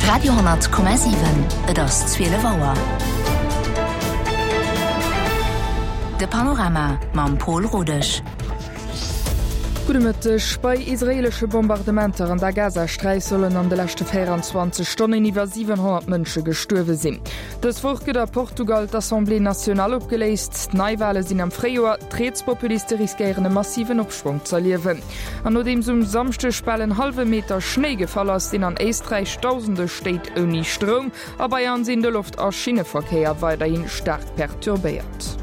Radio,7 Et ass 12 Auer. De Panorama mam Pol Rodesch. Gudde Mëtteg. Bei israeelesche Bombardementer an der Gazasträif sollen an de leschte 24 Stonnen iwwer 700 Mënsche gestuerwe sinn. Dës Woch gëtt a Portugal d'Assemblée nationale opgeléist. Neiwale sinn am Fréijoer. D'Rietspopuliste riskéieren e massiven Opschwong z'erliewen. An nodeems um Samschdeg bal en hallwe Meter Schnéi gefall ass, sinn an Éisträich dausende Stéit ouni Stroum. A Bayern sinn de Loft a Schinneverkéier weiderhi staark perturbéiert.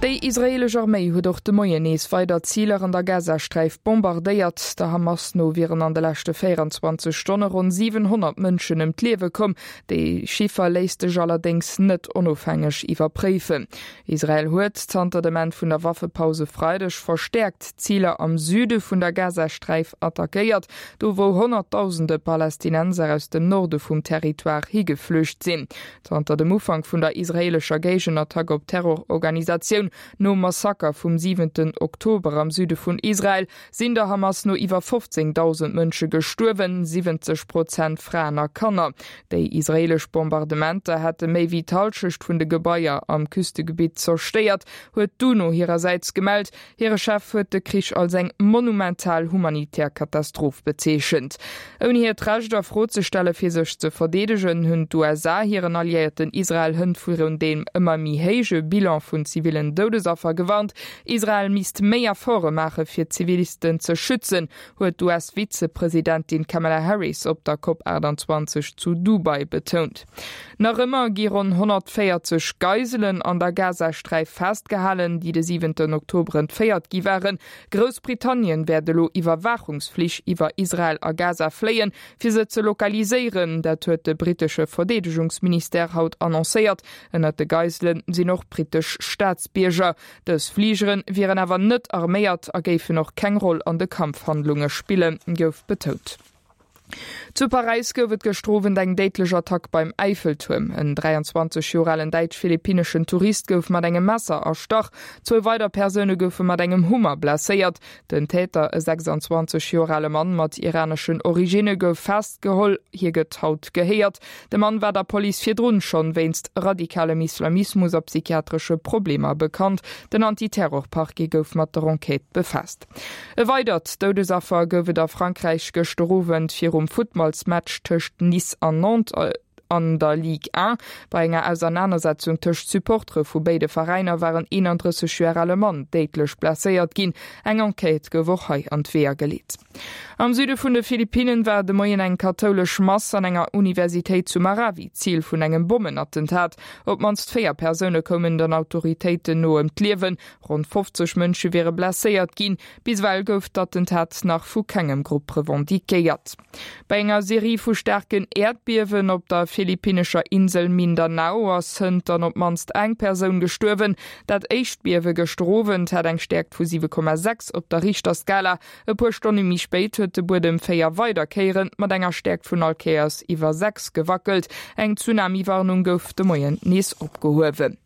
Déi israeelesch Arméi huet och de Moien nees weider Ziler an der Gazasträif bombardéiert. Der Hamas no wieren an de leschte 24 Stonne ronn 700 Mënschen ëm d'Liewe komm. Déi Chiffer léisst sech allerdéngs net onofhängeg iwwerpréifen. Israel huet zanter dem Enn vun der Waffepaus e Freideg verstäerkt Ziler am Süde vun der Gazasträif attackéiert, do wou Honnertdausende Palästinenser aus dem Norde vum Territoire higeflücht sinn. Zanter dem Ufank vun der israeelescher Géigenattack op d'Terrororganisatioun nom Massaker vum siwenten Oktober am Süde vun Israel sinn der Hamas no iwwer 15.000 Mënsche gestuerwen, 70 Prozent Fraen a Kanner. Déi israeelesch Bombardementer hätte méi wéi d'Hallschecht vun de Gebaier am Küstegebitt zerstéiert, huet d'UNO hirersäits gemellt. Hire Chef huet de Krich als eng monumental humanitär Katastroph bezeechent. Ouni hiert Recht a Fro ze stelle fir sech ze verdeedegen, hunn d'USA hiren Alliéierten Israel hënt virun deem ëmmer méi héije Bilan vun zivillen Doudesaffer gewarnt. Israel misst méi Efforte maache fir d'Zivilisten ze schützen, huet d'US-Vizepresidentin Kamala Harris op der Cop 28 zu Dubai betount. Nach ëmmer gi ronn 140 Geiselen an der Gazasträif festgehalen, déi de siwenten Oktober entféiert gi waren. Groussbritannien wäert elo Iwwerwaachungsflich iwwer Israel a Gaza fléien, fir se ze lokaliséieren. Dat huet de brittesche Verdeedegungsministère haut annoncéiert. Ënnert de Geisele sinn och brittesch Staatsbierger. Dës Fligere wieren awer net arméiert a géifen och keng Roll an de Kampfhandlunge spillen, gouf betount. Zu Paräis gouf et gëschter Owend eng déidlech Attack beim Äiffeltuerm. En 23 Joer alen däitsch-philippinneschen Tourist gouf mat engem Messer erstach. Zwou weider Persoune goufe mat engem Hummer blesséiert. Den Täter, e 26 Joer ale Mann mat iraneschen Originne, gouf festgeholl. Hie gëtt haut gehéiert. De Mann war der Police virdrun schonn wéinst radikalem Islamismus a psychiatresche Problemer bekannt. Den Antiterror-Parquet gouf mat der Enquête befaasst. E weidert Doudesaffer gouf et a Frankräich gëschter Owend virum Futtballsmatch tëscht Nice an Nantes an der Ligue 1. Bei enger Ausernanersetzung tëscht Supportere vu béide Veräiner war en 31 Joer ale Mann déidlech blesséiert ginn. Eng Enquête gouf och hei an d'Weeër geleet. Am Süde vun de Philippinnen war de Moien eng kathoulesch Mass an enger Universitéit zu Marawi Zil vun engem Bommenattentat. Op d'mannst 4 Persoune koumen den Autoritéiten no ëm d'Liewen. Ronn 50 Mënsche wiere blesséiert ginn. Bis ewell gouf d'Attentat nach vu kengem Grupp revendiquéiert. Bei enger Serie vu staarken Äerdbiewen op der philippinnescher Insel Mindanao ass hënt dann op d'mannst eng Persoun gestuerwen. Dat éischt Biewe gëschter Owend hat eng Stäerkt vu 7,6 op der Richterskala. E puer Stonne méi spéit huet de Buedem 4 weider Kéiere mat enger Stäerkt vun all Kéiers iwwer 6 gewackelt. Eng Tsunami-Warnung gouf de Moien nees opgehuewen.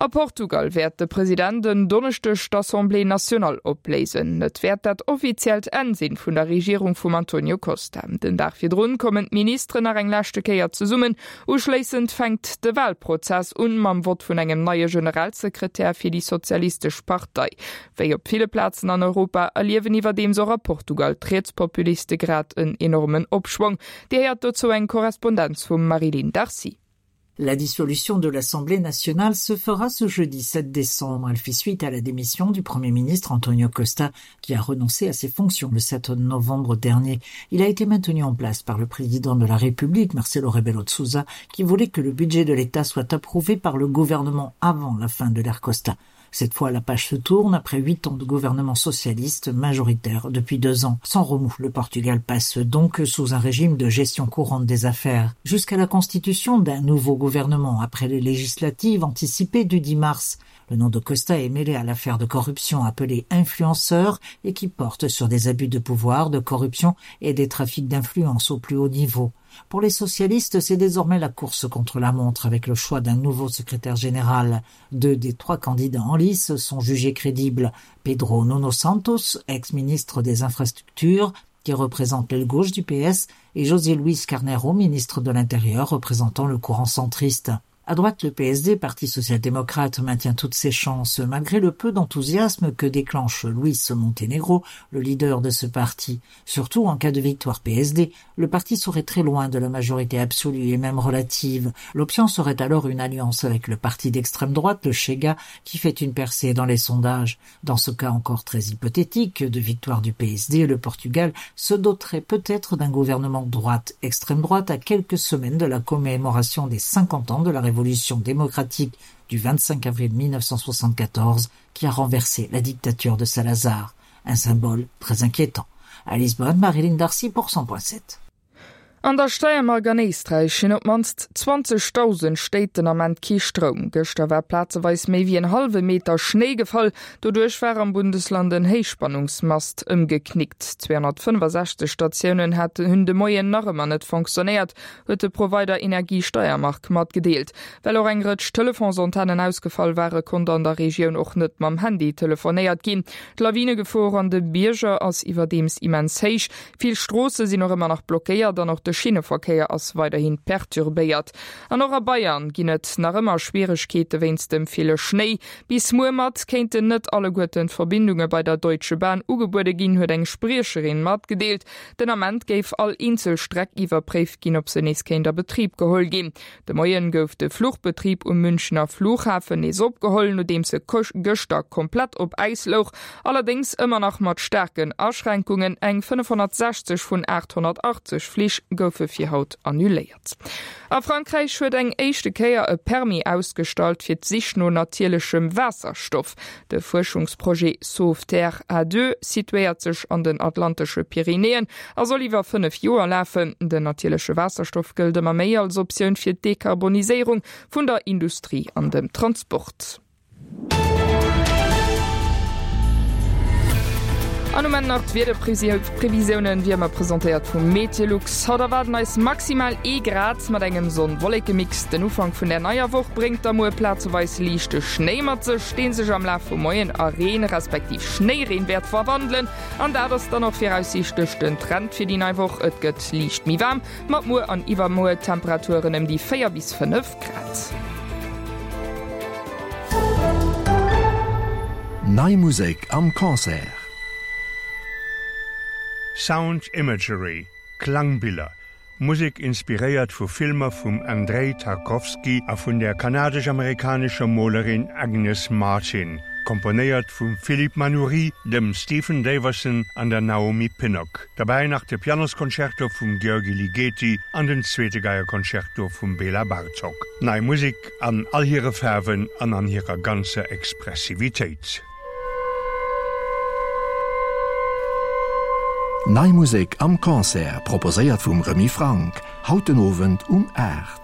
A Portugal wäert de President en Donneschdeg d'Assemblée nationale opléisen. Et wäert dat offiziellt Enn sinn vun der Regierung vum Antonio Costa. Den Dag virdrun kommen d'Ministeren nach eng leschte Kéier zesummen. Uschléissend fänkt de Walprozess un, mam Vott vun engem neie Generalsekretär fir déi sozialistesch Partei. Wéi op ville Plazen an Europa erliewen iwwerdeems och a Portugal d'Rietspopuliste grad en enormen Opschwong. Dir héiert dozou eng Korrespondenz vum Marie-Line Darcy. La dissolution de l'Assemblée nationale se fera ce jeudi 7 décembre. Elle fait suite à la démission du Premier ministre Antonio Costa qui a renoncé à ses fonctions le 7 novembre dernier. Il a été maintenu en place par le président de la République, Marcelo Rebelo de Souza, qui voulait que le budget de l'État soit approuvé par le gouvernement avant la fin de l'ère Costa. Cette fois, la page se tourne après huit ans de gouvernement socialiste majoritaire depuis deux ans. Sans remous, le Portugal passe donc sous un régime de gestion courante des affaires. Jusqu'à la constitution d'un nouveau gouvernement après les législatives anticipées du 10 mars. Le nom de Costa est mêlé à l'affaire de corruption appelée influenceur et qui porte sur des abus de pouvoir, de corruption et des trafics d'influence au plus haut niveau. Pour les socialistes, c'est désormais la course contre la montre avec le choix d'un nouveau secrétaire général. Deux des trois candidats en lice sont jugés crédibles. Pedro Nuno Santos, ex-ministre des infrastructures, qui représente l'aile gauche du PS, et José Luis Carneiro, ministre de l'Intérieur, représentant le courant centriste. À droite, le PSD, Parti social-démocrate, maintient toutes ses chances, malgré le peu d'enthousiasme que déclenche Luis Montenegro, le leader de ce parti. Surtout en cas de victoire PSD, le parti serait très loin de la majorité absolue et même relative. L'option serait alors une alliance avec le parti d'extrême droite, le Chega, qui fait une percée dans les sondages. Dans ce cas encore très hypothétique de victoire du PSD, le Portugal se doterait peut-être d'un gouvernement droite-extrême droite à quelques semaines de la commémoration des 50 ans de la Révolution démocratique du 25 avril 1974 qui a renversé la dictature de Salazar. Un symbole très inquiétant. À Lisbonne, Marilyn Darcy pour 100.7. An der Steiermark an Éisträich hunn op d'mannst 20.000 Stéit den Ament kee Stroum. Gëschter war plazeweis méi wéi en hallwe Meter Schnéi gefall. Doduerch war am Bundesland en Héichspannungsmast ëmgeknickt. 265 Statiounen haten hunn de Moien nach ëmmer net fonctionnéiert, huet de Provider Energie Steiermark matgedeelt. Well och eng Rëtsch Telefonsantennen ausgefall ware konnt an der Regioun och net mam Handy telefonéiert ginn. D'Lawinegefor an de Bierger ass iwwerdeems immens héich. Vill Stroosse sinn och ëmmer nach blockéiert an och de Schinneverkéier ass weiderhi perturbéiert. An och a Bayern ginn et nach ëmmer Schwieregkeete wéinst dem ville Schnéi. Bis muer mat kéinten net alleguerten d'Verbindunge bei der Deutsche Bahn ugebuede ginn, huet eng Spriecherin matgedeelt. Den Ament géif all eenzel Streck iwwerpréift ginn, ob se nees kéint a Betrib geholl ginn. De Moien gouf de Fluchbetrib um Münchener Flughafen nees opgeholl, nodeems e gëschter komplett op Äis louch. Allerdéngs ëmmer nach mat staarken Aschränkungen, Eng 560 vun 880 Flich goufe fir haut annuléiert. A Frankräich huet eng éischte Kéier e Permis ausgestallt fir d'Sich no natierlechem Waasserstoff. De Fuerschungsprojet Sauveterre A2 situéiert sech an den Atlantesche Pyrenäen a soll iwwer 5 Joer lafen. Den natierleche Waasserstoff gëllt ëmmer méi als Optioun fir d'Dekarboniséierung vun der Industrie an dem Transport. An um Enn nach d'Wiederprevisiounen, wéi ëmmer presentéiert vum Meteolux. Haut erwaarden eis maximal ee Grad mat engem Sonn-Wolleke-Mix. Den Ufank vun der neier Woch bréngt da muer plazeweis liichte Schnéi mat sech, dee sech am Laf vum Moien a Reen respektiv Schnéireen wäert verwandelen. An dat ass dann och viraussiichtlech den Trend fir déi nei Woch, Et gëtt liicht méi waarm, mat muer an iwwermuer Temperaturen ëm déi 4 bis 5 Grad. Nei Musek am Concert. Sound Imagery, Klangbiller, Musek inspiréiert vu Filmer vum Andrei Tarkowski a vun der kanadesch-amerikanescher Molerin Agnes Martin, komponéiert vum Philippe Manoury, dem Stephen Daverson an der Naomi Pinnock. Derbäi nach de Pianosconcerto vum György Ligeti an den zweete Geieconcerto vum Bela Bartok. Nei Musek an all hire Faarwen an an hirer ganzer Expressivitéit. Nei Musek am Concert, proposéiert vum Remy Franck, haut den Owend um 8.